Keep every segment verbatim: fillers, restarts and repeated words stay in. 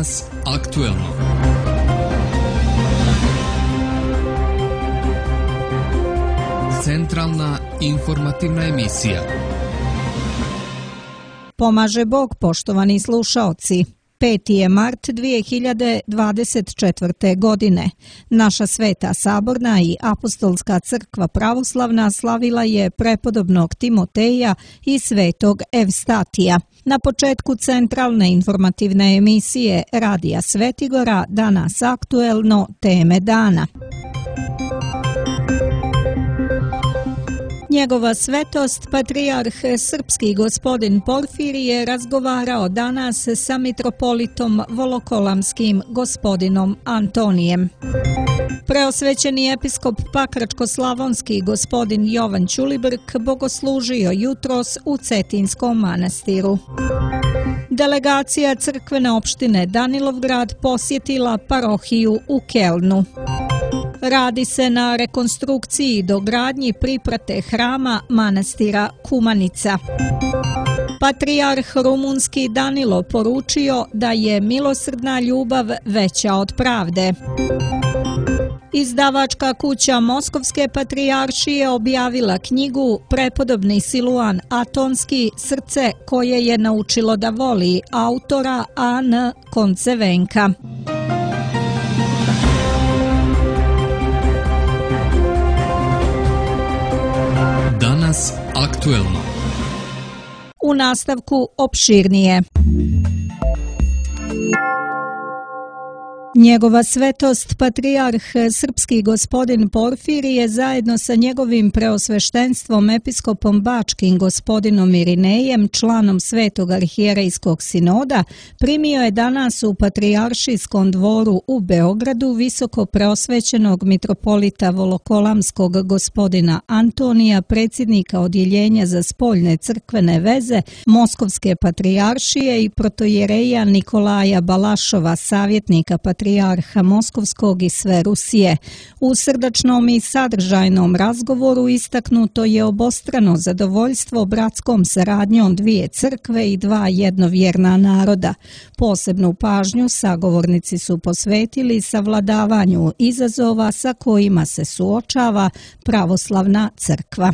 Danas aktuelno. Centralna informativna emisija. Pomaže Bog, poštovani slušaoci. peti je mart dvije hiljade dvadeset četvrte. godine. Naša Sveta Saborna i Apostolska crkva pravoslavna slavila je prepodobnog Timoteja i svetog Evstatija. Na početku centralne informativne emisije Radija Svetigora danas aktuelno teme dana. Njegova svetost, patrijarh srpski gospodin Porfirije, razgovarao danas sa mitropolitom Volokolamskim gospodinom Antonijem. Preosvećeni episkop Pakračko-slavonski gospodin Jovan Ćulibrk bogoslužio jutros u Cetinskom manastiru. Delegacija crkvene opštine Danilovgrad posjetila parohiju u Kelnu. Radi se na rekonstrukciji i dogradnji priprate hrama manastira Kumanica. Patrijarh rumunski Danilo poručio da je milosrdna ljubav veća od pravde. Izdavačka kuća Moskovske patrijaršije objavila knjigu Prepodobni Siluan Atonski, srce koje je naučilo da voli, autora A N Koncevenka. Danas aktuelno. U nastavku opširnije. Njegova svetost, patrijarh srpski gospodin Porfirije, zajedno sa njegovim preosveštenstvom episkopom bačkim gospodinom Irinejem, članom Svetog arhijerejskog sinoda, primio je danas u patrijaršijskom dvoru u Beogradu visoko preosvećenog mitropolita Volokolamskog gospodina Antonija, predsjednika odjeljenja za spoljne crkvene veze Moskovske patrijaršije, i protojereja Nikolaja Balašova, savjetnika patrijarha patrijarha Moskovskog i sve Rusije. U srdačnom i sadržajnom razgovoru istaknuto je obostrano zadovoljstvo bratskom saradnjom dvije crkve i dva jednovjerna naroda. Posebnu pažnju sagovornici su posvetili savladavanju izazova sa kojima se suočava pravoslavna crkva.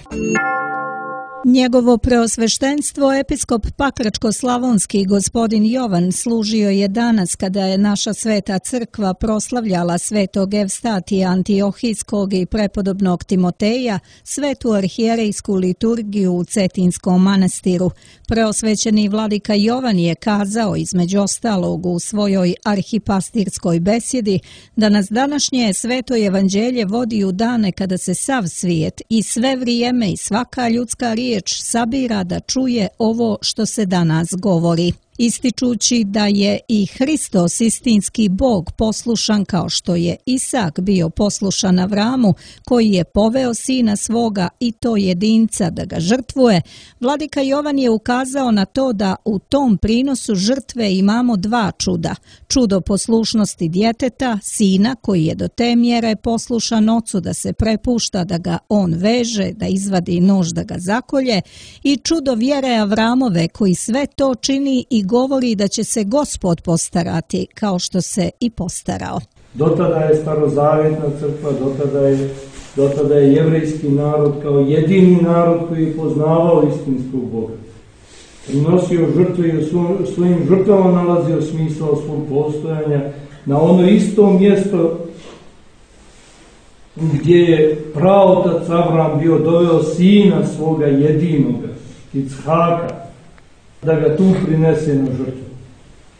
Njegovo preosveštenstvo, episkop Pakračko-slavonski gospodin Jovan, služio je danas kada je naša Sveta crkva proslavljala svetog Evstatija Antiohijskog i prepodobnog Timoteja, svetu arhijerejsku liturgiju u Cetinskom manastiru. Preosvećeni vladika Jovan je kazao, između ostalog, u svojoj arhipastirskoj besjedi, da nas današnje sveto evanđelje vodi u dane kada se sav svijet i sve vrijeme i svaka ljudska riječ sabira da čuje ovo što se danas govori. Ističući da je i Hristos istinski Bog poslušan kao što je Isak bio poslušan Avramu, koji je poveo sina svoga i to jedinca da ga žrtvuje, vladika Jovan je ukazao na to da u tom prinosu žrtve imamo dva čuda. Čudo poslušnosti djeteta, sina koji je do te mjere poslušan ocu da se prepušta da ga on veže, da izvadi nož da ga zakolje, i čudo vjere Avramove koji sve to čini i govori da će se Gospod postarati kao što se i postarao. Dotada je starozavjetna crkva, dotada je, dotada je jevrejski narod kao jedini narod koji je poznavao istinskog Boga. Prinosio žrtve i u svojim žrtvama nalazio smisao svog postojanja na ono isto mjesto gdje je praotac Avram bio doveo sina svoga jedinoga, Ichaka, da ga tu prinese na žrtvu.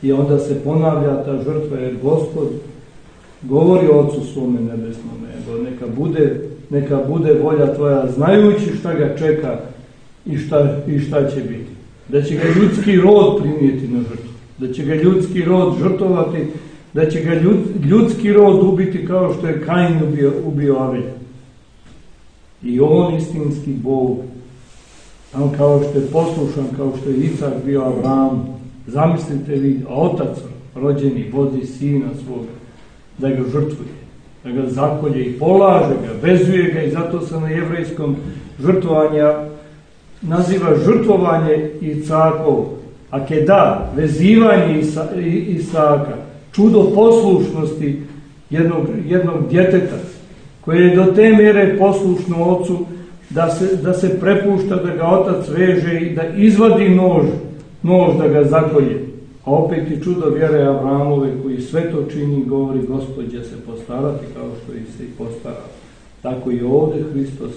I onda se ponavlja ta žrtva, jer Gospod govori Otcu svome nebesnome, neka bude, neka bude volja tvoja, znajući šta ga čeka i šta, i šta će biti. Da će ga ljudski rod primijeti na žrtvu, da će ga ljudski rod žrtovati, da će ga ljud, ljudski rod ubiti kao što je Kain ubio, ubio Avelja. I on istinski Bog, on kao što je poslušan, kao što je Isak bio Avram. Zamislite vi, a otac rođeni vozi sina svoga da ga žrtvuje, da ga zakolje i polaže ga, vezuje ga, i zato se na jevrejskom žrtvovanja naziva žrtvovanje Icakov, akeda, vezivanje Isa, Isaka. čudo poslušnosti jednog, jednog djeteta koje je do te mjere poslušno ocu da se, da se prepušta da ga otac veže i da izvadi nož, nož da ga zakolje. A opet i čudo vjere Avramove koji sve to čini, govori Gospod će se postarati kao što i se i postara. Tako i ovdje Hristos,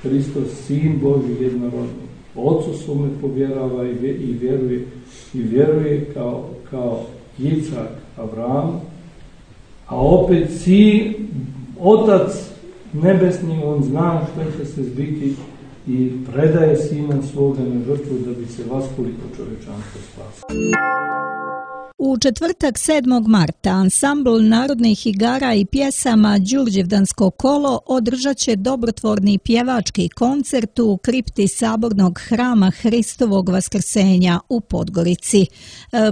Hristos, Sin Božji jednorodni, Ocu svome povjerava i vjeruje, i vjeruje kao, kao Icak Avram, a opet Sin, Otac nebesni, on zna što će se zbiti i predaje Sina svoga na žrtvu da bi se vaskoliko čovječanstvo spasilo. U četvrtak sedmog marta ansambl narodnih igara i pjesama Đurđevdansko kolo održat će dobrotvorni pjevački koncert u kripti Sabornog hrama Hristovog vaskrsenja u Podgorici. E,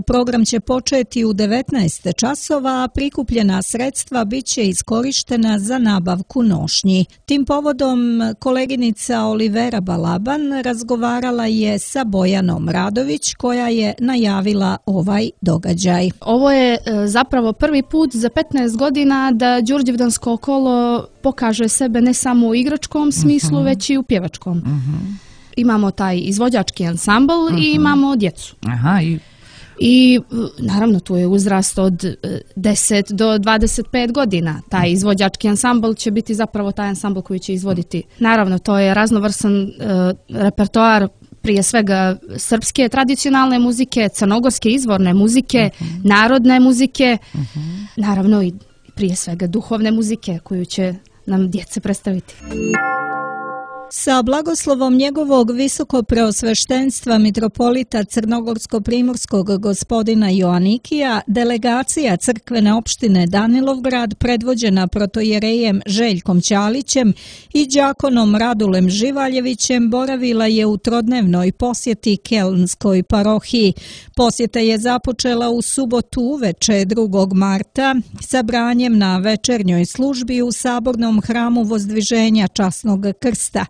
program će početi u devetnaest časova, a prikupljena sredstva bit će iskorištena za nabavku nošnji. Tim povodom koleginica Olivera Balaban razgovarala je sa Bojanom Radović koja je najavila ovaj događaj. Ovo je zapravo prvi put za petnaest godina da Đurđevdansko kolo pokaže sebe ne samo u igračkom smislu, uh-huh. već i u pjevačkom. Uh-huh. Imamo taj izvođački ansambl uh-huh. i imamo djecu. Aha, i... I naravno tu je uzrast od deset do dvadeset pet godina. Taj izvođački ansambl će biti zapravo taj ansambl koji će izvoditi. Naravno to je raznovrsan uh, repertoar, prije svega srpske tradicionalne muzike, crnogorske izvorne muzike, uh-huh. narodne muzike, uh-huh. naravno i prije svega duhovne muzike koju će nam djece predstaviti. Sa blagoslovom njegovog visokopreosveštenstva mitropolita crnogorsko-primorskog gospodina Joanikija, delegacija crkvene opštine Danilovgrad predvođena protojerejem Željkom Ćalićem i đakonom Radulem Živaljevićem boravila je u trodnevnoj posjeti Kelnskoj parohiji. Posjeta je započela u subotu uveče drugog marta sabranjem na večernjoj službi u Sabornom hramu Vozdviženja Časnog krsta.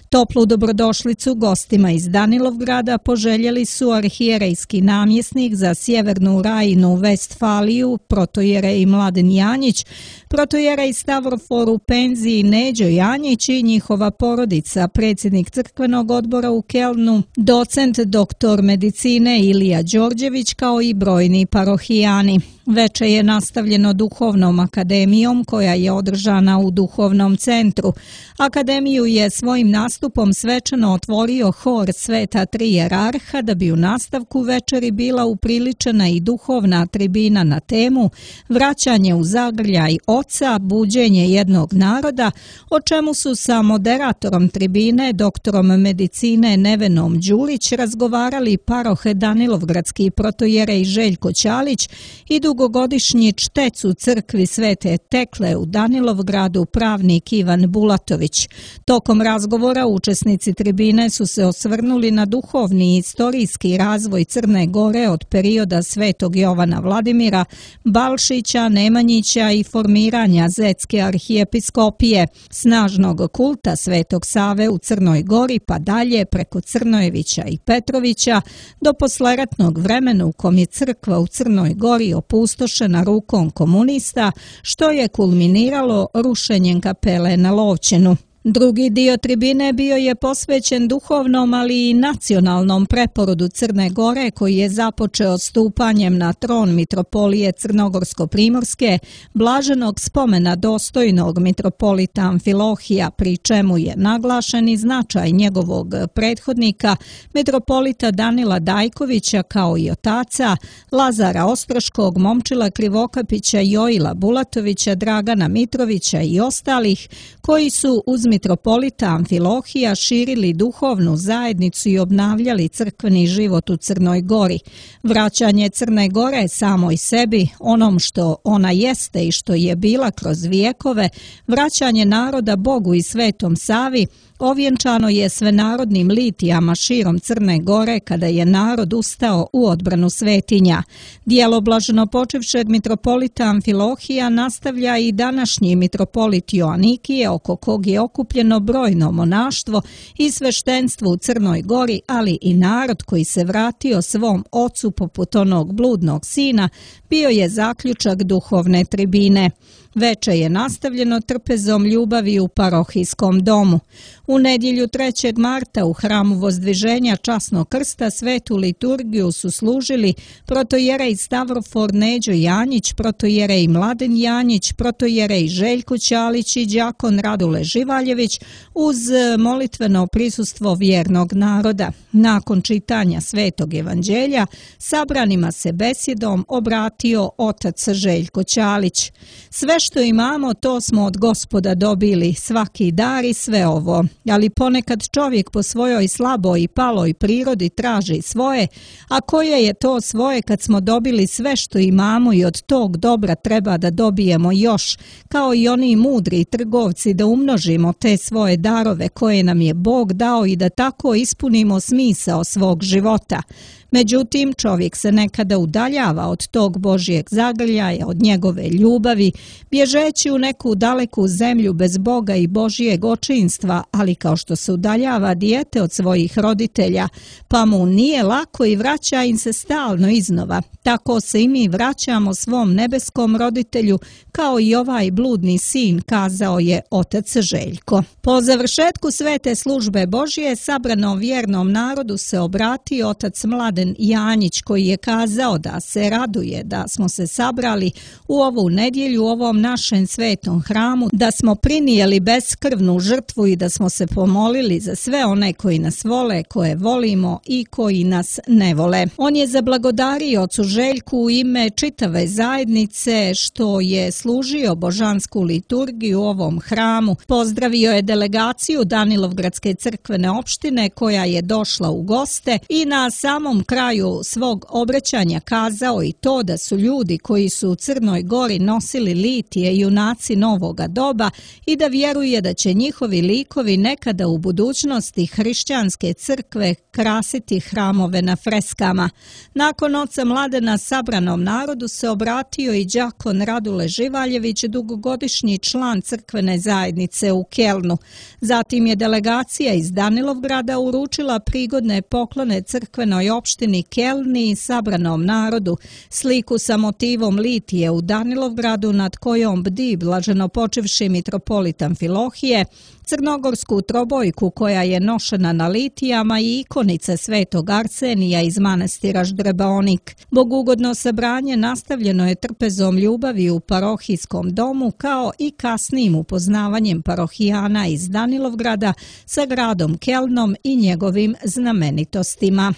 Toplu dobrodošlicu gostima iz Danilovgrada poželjeli su arhijerejski namjesnik za Sjevernu Rajinu Vestfaliju, protojerej Mladen Janjić, protojerej Stavrofor u penziji Neđo Janjić i njihova porodica, predsjednik crkvenog odbora u Kelnu, docent doktor medicine Ilija Đorđević kao i brojni parohijani. Veče je nastavljeno duhovnom akademijom koja je održana u duhovnom centru. Akademiju je svojim nastupom svečano otvorio hor Sveta Tri Jerarha da bi u nastavku večeri bila upriličena i duhovna tribina na temu Vraćanje u zagrljaj oca, buđenje jednog naroda, o čemu su sa moderatorom tribine, doktorom medicine Nevenom Đulić razgovarali paroh Danilovgradski protojerej Željko Ćalić i dugogodišnji čtec u crkvi Svete Tekle u Danilovgradu pravnik Ivan Bulatović. Tokom razgovora učesnici tribine su se osvrnuli na duhovni i istorijski razvoj Crne Gore od perioda Svetog Jovana Vladimira, Balšića, Nemanjića i formiranja Zetske arhijepiskopije, snažnog kulta Svetog Save u Crnoj Gori pa dalje preko Crnojevića i Petrovića do posleratnog vremena u kom je crkva u Crnoj Gori opustošena rukom komunista, što je kulminiralo rušenjem kapele na Lovćenu. Drugi dio tribine bio je posvećen duhovnom, ali i nacionalnom preporodu Crne Gore koji je započeo stupanjem na tron mitropolije Crnogorsko-primorske, blaženog spomena dostojnog mitropolita Amfilohija, pri čemu je naglašen i značaj njegovog prethodnika, mitropolita Danila Dajkovića, kao i otaca Lazara Ostroškog, Momčila Krivokapića, Joila Bulatovića, Dragana Mitrovića i ostalih koji su uz mitropolita Amfilohija širili duhovnu zajednicu i obnavljali crkveni život u Crnoj Gori. Vraćanje Crne Gore samoj sebi, onom što ona jeste i što je bila kroz vijekove, vraćanje naroda Bogu i Svetom Savi, ovjenčano je svenarodnim litijama širom Crne Gore kada je narod ustao u odbranu svetinja. Dijelo blaženopočevšeg mitropolita Amfilohija nastavlja i današnji mitropolit Joanikije, oko kog je okupljen okupljeno brojno monaštvo i sveštenstvo u Crnoj Gori, ali i narod koji se vratio svom ocu poput onog bludnog sina, bio je zaključak duhovne tribine. Veče je nastavljeno trpezom ljubavi u parohijskom domu. U nedjelju trećeg marta u hramu Vozdviženja Časnog krsta svetu liturgiju su služili protojerej Stavrofor Neđo Janjić, protojerej Mladen Janjić, protojerej Željko Ćalić i đakon Radule Živaljević uz molitveno prisustvo vjernog naroda. Nakon čitanja svetog evanđelja sabranima se besjedom obratio otac Željko Ćalić. Sve što imamo, to smo od Gospoda dobili, svaki dar i sve ovo. Ali ponekad čovjek po svojoj slaboj i paloj prirodi traži svoje, a koje je to svoje kad smo dobili sve što imamo i od tog dobra treba da dobijemo još, kao i oni mudri trgovci da umnožimo te svoje darove koje nam je Bog dao i da tako ispunimo smisao svog života. Međutim, čovjek se nekada udaljava od tog Božjeg zagrljaja, od njegove ljubavi, bježeći u neku daleku zemlju bez Boga i Božjeg očinstva, ali kao što se udaljava dijete od svojih roditelja, pa mu nije lako i vraća im se stalno iznova. Tako se i mi vraćamo svom nebeskom roditelju, kao i ovaj bludni sin, kazao je otac Željko. Po završetku svete službe Božje, sabranom vjernom narodu se obratio otac Mladen Janjić, koji je kazao da se raduje da smo se sabrali u ovu nedjelju u ovom našem svetom hramu, da smo prinijeli beskrvnu žrtvu i da smo se pomolili za sve one koji nas vole, koje volimo i koji nas ne vole. On je zablagodario ocu Željku u ime čitave zajednice što je služio božansku liturgiju u ovom hramu. Pozdravio je delegaciju Danilovgradske crkvene opštine koja je došla u goste i na samom kraju svog obraćanja kazao i to da su ljudi koji su u Crnoj Gori nosili litije junaci novoga doba i da vjeruje da će njihovi likovi nekada u budućnosti hrišćanske crkve krasiti hramove na freskama. Nakon oca Mladena sabranom narodu se obratio i đakon Radule Živaljević, dugogodišnji član crkvene zajednice u Kelnu. Zatim je delegacija iz Danilovgrada uručila prigodne poklone crkvenoj opštini Kelni i sabranom narodu, sliku sa motivom litije u Danilovgradu nad kojom bdi blaženopočivši mitropolitan Filohije, crnogorsku trobojku koja je nošena na litijama i ikonice svetog Arsenija iz manastira Ždrebaonik. Bogugodno sabranje nastavljeno je trpezom ljubavi u parohijskom domu kao i kasnijim upoznavanjem parohijana iz Danilovgrada sa gradom Kelnom i njegovim znamenitostima.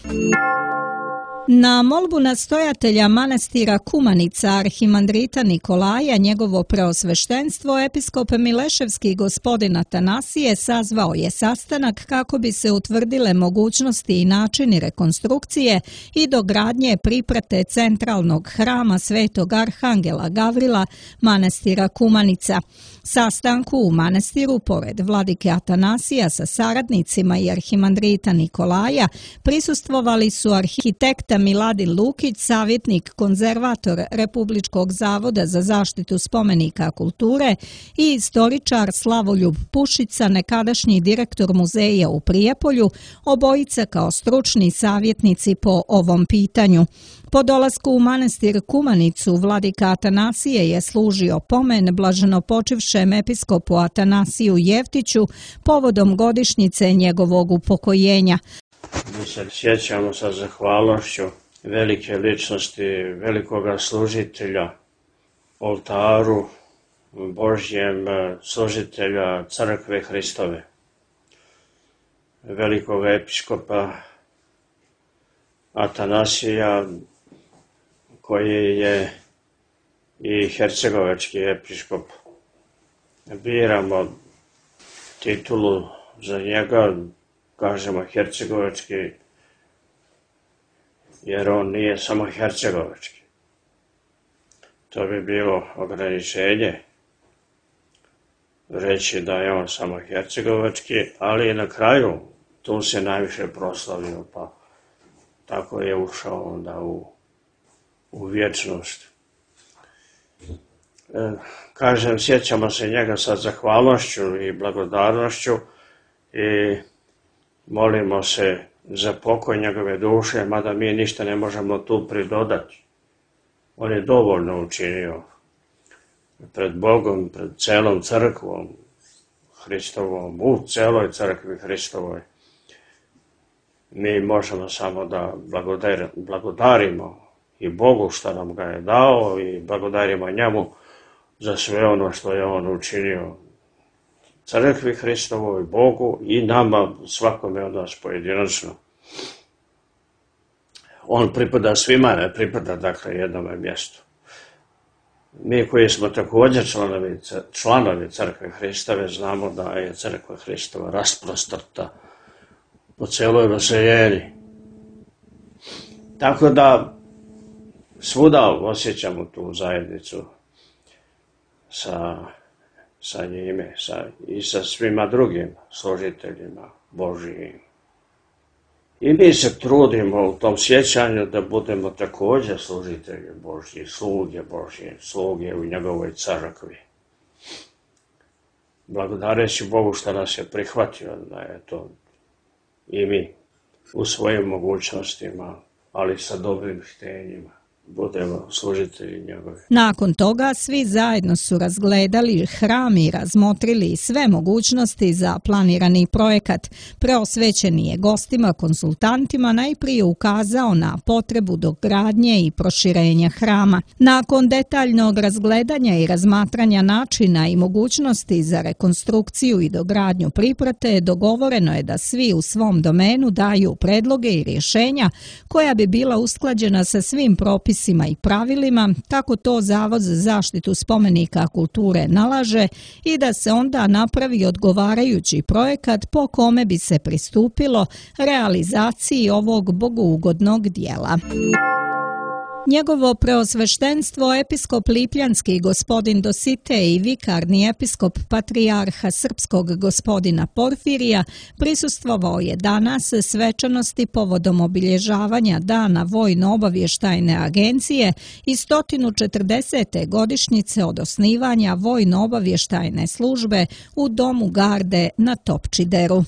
Na molbu nastojatelja manastira Kumanica arhimandrita Nikolaja, njegovo preosveštenstvo, episkop Mileševski gospodin Atanasije sazvao je sastanak kako bi se utvrdile mogućnosti i načini rekonstrukcije i dogradnje priprate centralnog hrama Svetog Arhangela Gavrila manastira Kumanica. Sastanku u manastiru, pored vladike Atanasija sa saradnicima i arhimandrita Nikolaja, prisustvovali su arhitekta Miladin Lukić, savjetnik konzervator Republičkog zavoda za zaštitu spomenika kulture i istoričar Slavoljub Pušica, nekadašnji direktor muzeja u Prijepolju, obojica kao stručni savjetnici po ovom pitanju. Po dolasku u manastir Kumanicu, vladika Atanasije je služio pomen blaženopočivšem episkopu Atanasiju Jeftiću povodom godišnjice njegovog upokojenja. Mi se sjećamo sa zahvalnošću velike ličnosti, velikoga služitelja, oltaru Božjem, služitelja Crkve Hristove, velikog episkopa Atanasija, koji je i hercegovački episkop. Biramo titulu za njega, kažemo hercegovački, jer on nije samo hercegovački. To bi bilo ograničenje reći da je on samo hercegovački, ali na kraju tu se najviše proslavio, pa tako je ušao onda u, u vječnost. Kažem, sjećamo se njega sa zahvalnošću i blagodarnošću i molimo se za pokoj njegove duše, mada mi ništa ne možemo tu pridodati. On je dovoljno učinio pred Bogom, pred celom crkvom Hristovom, u celoj crkvi Hristovoj. Mi možemo samo da blagodarimo i Bogu što nam ga je dao i blagodarimo njemu za sve ono što je on učinio crkvi Hristovoj, Bogu i nama, svakome od nas pojedinačno. On pripada svima, ne pripada dakle jednome mjestu. Mi koji smo također članovi, članovi crkve Hristove znamo da je crkva Hristova rasprostrta po celoj vaseljeni. Tako da svuda osjećamo tu zajednicu sa, sa njime sa, i sa svima drugim služiteljima Božijim. I mi se trudimo u tom sjećanju da budemo također služitelji Božji, sluge Božje, sluge u njegovoj crkvi. Благодарeći Bogu što nas je prihvatio da je to i mi u svojim mogućnostima, ali sa dobrim htenjima budemo služitelji njegove. Nakon toga svi zajedno su razgledali hram i razmotrili sve mogućnosti za planirani projekat. Preosvećeni je gostima, konsultantima najprije ukazao na potrebu dogradnje i proširenja hrama. Nakon detaljnog razgledanja i razmatranja načina i mogućnosti za rekonstrukciju i dogradnju priprate, dogovoreno je da svi u svom domenu daju predloge i rješenja koja bi bila usklađena sa svim propisima i pravilima, tako to Zavod za zaštitu spomenika kulture nalaže, i da se onda napravi odgovarajući projekat po kome bi se pristupilo realizaciji ovog bogougodnog dijela. Njegovo preosveštenstvo episkop Lipljanski gospodin Dositej i vikarni episkop patrijarha srpskog gospodina Porfirija prisustvovao je danas svečanosti povodom obilježavanja Dana Vojno-obavještajne agencije i sto četrdesete godišnjice od osnivanja Vojno-obavještajne službe u Domu garde na Topčideru.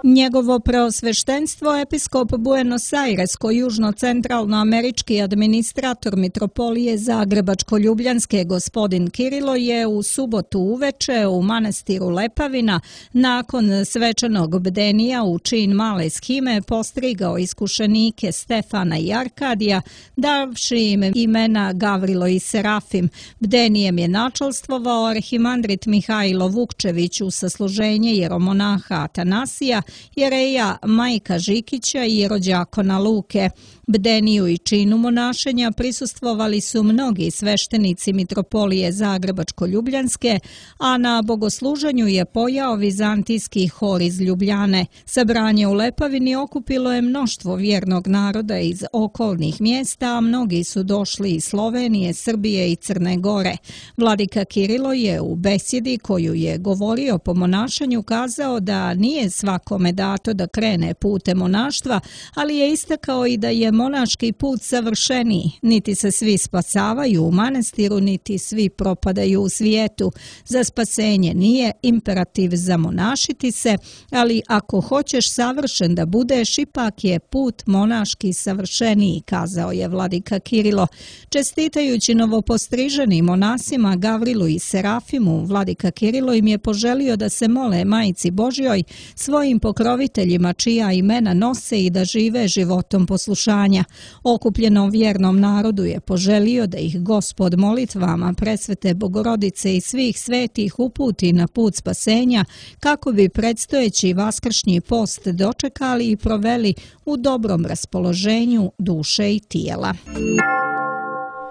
Njegovo preosveštenstvo episkop Buenos Aires-južno-centralnoamerički administrator mitropolije Zagrebačko-ljubljanske gospodin Kirilo je u subotu uveče u manastiru Lepavina nakon svečanog bdenija u čin male shime postrigao iskušenike Stefana i Arkadija, davši im imena Gavrilo i Serafim. Bdenijem je načalstvovao arhimandrit Mihajlo Vukčević u sasluženje jeromonaha Atanasija, jereja Majka Žikića i jerođakona Luke. Bdeniju i činu monašenja prisustvovali su mnogi sveštenici mitropolije Zagrebačko-ljubljanske, a na bogosluženju je pojao vizantijski hor iz Ljubljane. Sabranje u Lepavini okupilo je mnoštvo vjernog naroda iz okolnih mjesta, a mnogi su došli iz Slovenije, Srbije i Crne Gore. Vladika Kirilo je u besjedi koju je govorio po monašanju kazao da nije svakome dato da krene putem monaštva, ali je istakao i da je monaški put savršeniji. Niti se svi spasavaju u manastiru, niti svi propadaju u svijetu. Za spasenje nije imperativ zamonašiti se, ali ako hoćeš savršen da budeš, ipak je put monaški savršeniji, kazao je vladika Kirilo. Čestitajući novopostriženim monasima Gavrilu i Serafimu, vladika Kirilo im je poželio da se mole Majci Božjoj, svojim pokroviteljima čija imena nose, i da žive životom poslušanja. Okupljenom vjernom narodu je poželio da ih Gospod molitvama Presvete Bogorodice i svih svetih uputi na put spasenja, kako bi predstojeći vaskršnji post dočekali i proveli u dobrom raspoloženju duše i tijela.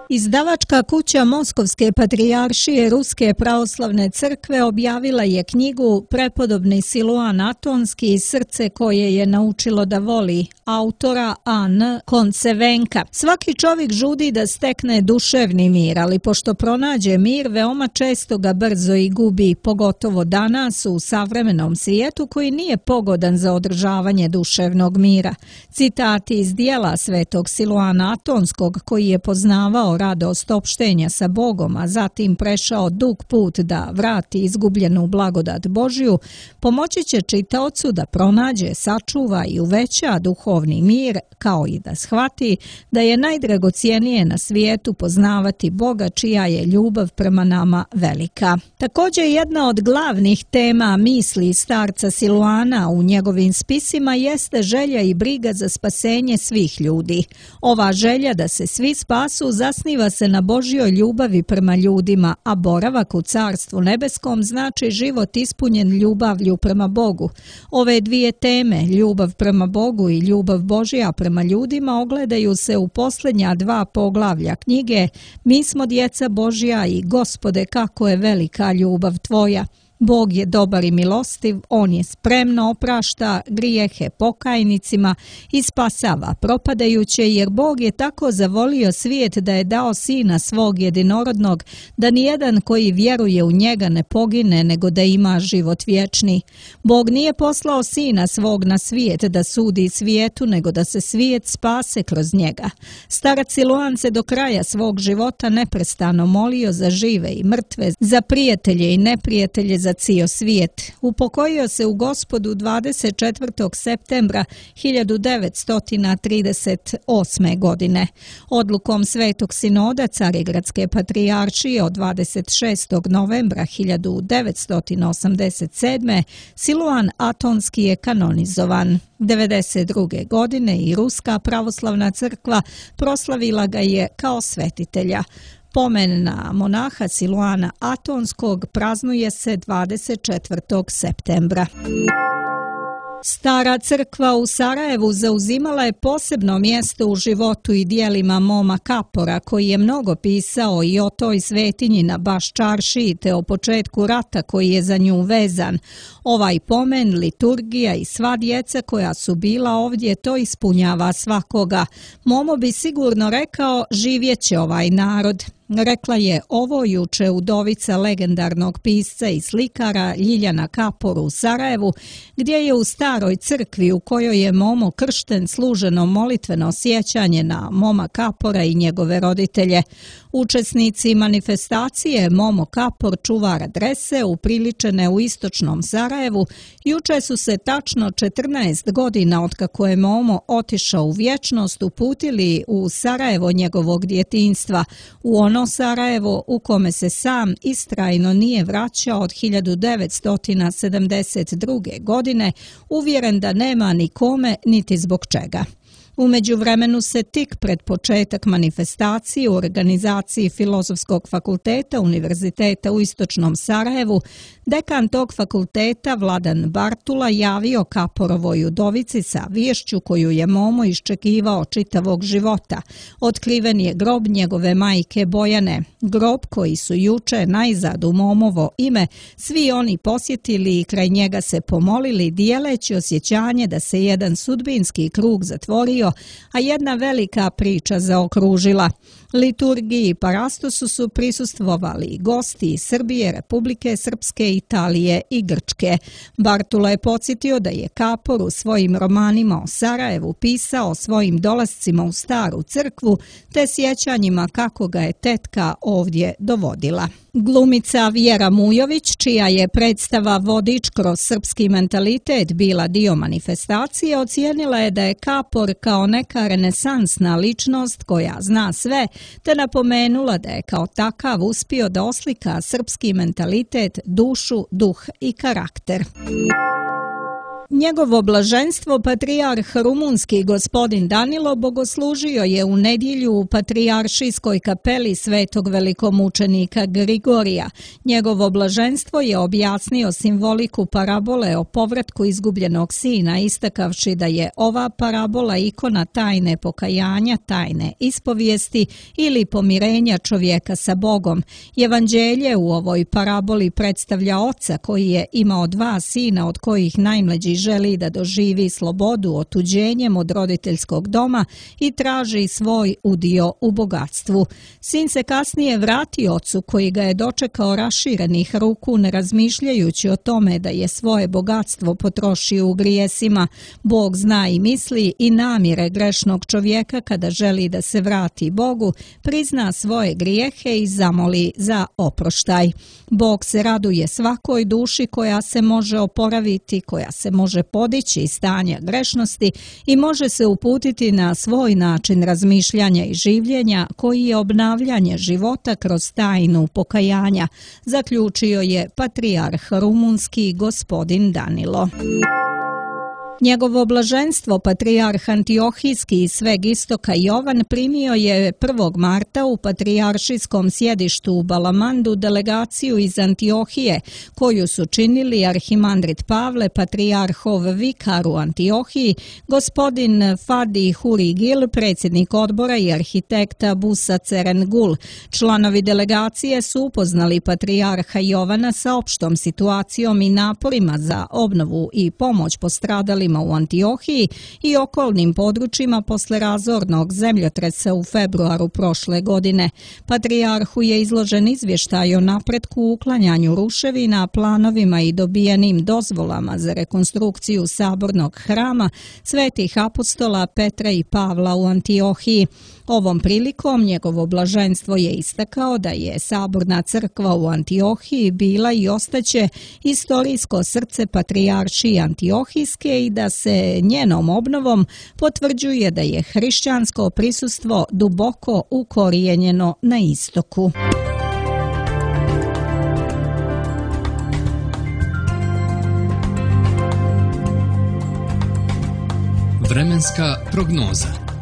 Izdavačka kuća Moskovske patrijaršije Ruske pravoslavne crkve objavila je knjigu Prepodobni Siluan Atonski, srce koje je naučilo da voli, autora A N Koncevenka. Svaki čovjek žudi da stekne duševni mir, ali pošto pronađe mir, veoma često ga brzo i gubi, pogotovo danas u savremenom svijetu koji nije pogodan za održavanje duševnog mira. Citati iz dijela svetog Siluana Atonskog, koji je poznavao radost opštenja sa Bogom, a zatim prešao dug put da vrati izgubljenu blagodat Božju, pomoći će čitaocu da pronađe, sačuva i uveća duhovni mir, kao i da shvati da je najdragocijenije na svijetu poznavati Boga, čija je ljubav prema nama velika. Također jedna od glavnih tema misli starca Siluana u njegovim spisima jeste želja i briga za spasenje svih ljudi. Ova želja da se svi spasu zasniva se na Božjoj ljubavi prema ljudima, a boravak u Carstvu nebeskom znači život ispunjen ljubavlju prema Bogu. Ove dvije teme, ljubav prema Bogu i ljubav Božja prema ljudima, ogledaju se u posljednja dva poglavlja knjige Mi smo djeca Božja i Gospode, kako je velika ljubav tvoja. Bog je dobar i milostiv, on je spremno oprašta grijehe pokajnicima i spasava propadajuće, jer Bog je tako zavolio svijet da je dao sina svog jedinorodnog, da nijedan koji vjeruje u njega ne pogine, nego da ima život vječni. Bog nije poslao sina svog na svijet da sudi svijetu, nego da se svijet spase kroz njega. Starac Siluan se do kraja svog života neprestano molio za žive i mrtve, za prijatelje i neprijatelje, za cijel svijet. Upokojio se u Gospodu dvadeset četvrtog septembra hiljadu devetsto trideset osme. godine. Odlukom Svetog sinoda Carigradske patrijaršije od dvadeset šestog novembra hiljadu devetsto osamdeset sedme. Siluan Atonski je kanonizovan. devedeset druge. godine i Ruska pravoslavna crkva proslavila ga je kao svetitelja. Pomen na monaha Siluana Atonskog praznuje se dvadeset četvrtog septembra. Stara crkva u Sarajevu zauzimala je posebno mjesto u životu i dijelima Moma Kapora, koji je mnogo pisao i o toj svetinji na Baščaršiji te o početku rata koji je za nju vezan. Ovaj pomen, liturgija i sva djeca koja su bila ovdje, to ispunjava svakoga. Momo bi sigurno rekao, živjet će ovaj narod. Rekla je ovo juče udovica legendarnog pisca i slikara Ljiljana Kapor u Sarajevu, gdje je u staroj crkvi u kojoj je Momo kršten služeno molitveno sjećanje na Moma Kapora i njegove roditelje. Učesnici manifestacije Momo Kapor, čuvar adrese, upriličene u istočnom Sarajevu, juče su se tačno četrnaest godina otkako je Momo otišao u vječnost uputili u Sarajevo njegovog djetinjstva, u ono Sarajevo u kome se sam istrajno nije vraćao od hiljadu devetsto sedamdeset druge. godine, uvjeren da nema ni kome niti zbog čega. U međuvremenu se tik pred početak manifestacije u organizaciji Filozofskog fakulteta Univerziteta u istočnom Sarajevu dekan tog fakulteta Vladan Bartula javio Kaporovoj udovici sa viješću koju je Momo iščekivao čitavog života. Otkriven je grob njegove majke Bojane, grob koji su juče najzad u Momovo ime svi oni posjetili i kraj njega se pomolili, dijeleći osjećanje da se jedan sudbinski krug zatvorio, a jedna velika priča zaokružila. Liturgiji i parastosu su prisustvovali gosti iz Srbije, Republike Srpske, Italije i Grčke. Bartula je podsjetio da je Kapor u svojim romanima o Sarajevu pisao o svojim dolascima u staru crkvu te sjećanjima kako ga je tetka ovdje dovodila. Glumica Vjera Mujović, čija je predstava Vodič kroz srpski mentalitet bila dio manifestacije, ocijenila je da je Kapor kao neka renesansna ličnost koja zna sve, te napomenula da je kao takav uspio da oslika srpski mentalitet, dušu, duh i karakter. Njegovo blaženstvo patrijarh rumunski gospodin Danilo bogoslužio je u nedjelju u patrijaršijskoj kapeli svetog velikomučenika Grigorija. Njegovo blaženstvo je objasnio simboliku parabole o povratku izgubljenog sina, istakavši da je ova parabola ikona tajne pokajanja, tajne ispovijesti ili pomirenja čovjeka sa Bogom. Evanđelje u ovoj paraboli predstavlja oca koji je imao dva sina od kojih najmlađi želi da doživi slobodu otuđenjem od roditeljskog doma i traži svoj udio u bogatstvu. Sin se kasnije vrati ocu koji ga je dočekao raširenih ruku, ne razmišljajući o tome da je svoje bogatstvo potrošio u grijesima. Bog zna i misli i namjere grešnog čovjeka kada želi da se vrati Bogu, prizna svoje grijehe i zamoli za oproštaj. Bog se raduje svakoj duši koja se može oporaviti, koja se može podići iz stanja grešnosti i može se uputiti na svoj način razmišljanja i življenja koji je obnavljanje života kroz tajnu pokajanja, zaključio je patrijarh rumunski gospodin Danilo. Njegovo blaženstvo patrijarh Antiohijski iz sveg istoka Jovan primio je prvog marta u patrijaršijskom sjedištu u Balamandu delegaciju iz Antiohije, koju su činili arhimandrit Pavle, patrijarhov vikar u Antiohiji, gospodin Fadi Hurigil, predsjednik odbora i arhitekta Busa Cerengul. Članovi delegacije su upoznali patrijarha Jovana sa opštom situacijom i naporima za obnovu i pomoć postradalima u Antiohiji i okolnim područjima posle razornog zemljotresa u februaru prošle godine. Patrijarhu je izložen izvještaj o napretku u uklanjanju ruševina, planovima i dobijenim dozvolama za rekonstrukciju sabornog hrama svetih apostola Petra i Pavla u Antiohiji. Ovom prilikom njegovo blaženstvo je istakao da je saborna crkva u Antiohiji bila i ostaće istorijsko srce patrijaršije Antiohijske i da se njenom obnovom potvrđuje da je hrišćansko prisustvo duboko ukorijenjeno na istoku. Vremenska prognoza.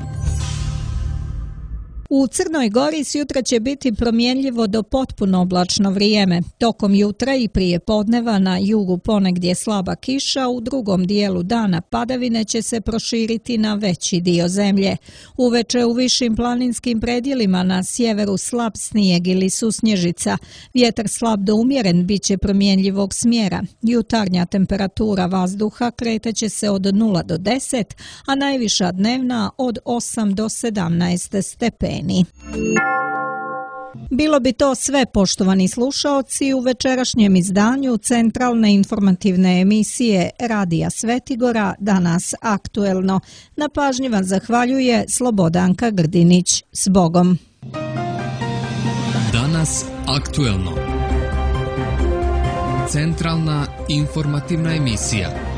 U Crnoj Gori sjutra će biti promjenljivo do potpuno oblačno vrijeme. Tokom jutra i prije podneva na jugu ponegdje slaba kiša, u drugom dijelu dana padavine će se proširiti na veći dio zemlje. Uveče u višim planinskim predjelima na sjeveru slab snijeg ili susnježica. Vjetar slab do umjeren bit će promjenljivog smjera. Jutarnja temperatura vazduha kretaće se od nula do deset, a najviša dnevna od osam do sedamnaest stepeni. Bilo bi to sve, poštovani slušaoci, u večerašnjem izdanju centralne informativne emisije Radija Svetigora, Danas aktuelno. Na pažnji vam zahvaljuje Slobodanka Grdinić. S Bogom! Danas aktuelno. Centralna informativna emisija.